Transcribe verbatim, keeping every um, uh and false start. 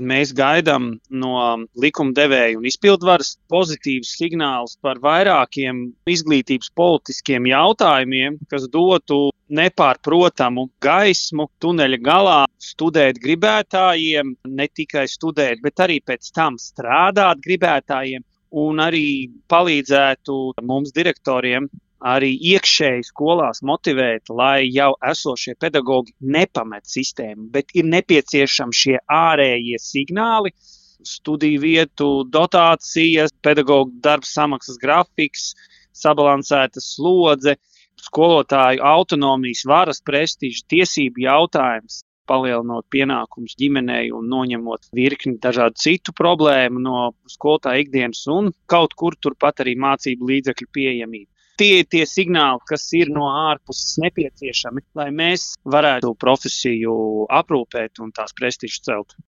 Mēs gaidām no likumdevēja un izpildvaras pozitīvus signālus par vairākiem izglītības politiskiem jautājumiem, kas dotu nepārprotamu gaismu tuneļa galā studēt gribētājiem, ne tikai studēt, bet arī pēc tam strādāt gribētājiem, un arī palīdzētu mums direktoriem arī iekšēji skolās motivēt, lai jau esošie pedagogi nepamet sistēmu, bet ir nepieciešami šie ārējie signāli, studiju vietu, dotācijas, pedagogu darba samaksas grafiks, sabalansēta slodze, skolotāju autonomijas, varas prestiža, tiesību jautājums, palielinot pienākumus ģimenei un noņemot virkni dažādu citu problēmu no skolotāja ikdienas un kaut kur turpat arī mācību līdzekļu pieejamību. Tie ir tie signāli, kas ir no ārpuses nepieciešami, lai mēs varētu profesiju aprūpēt un tās prestižu celt.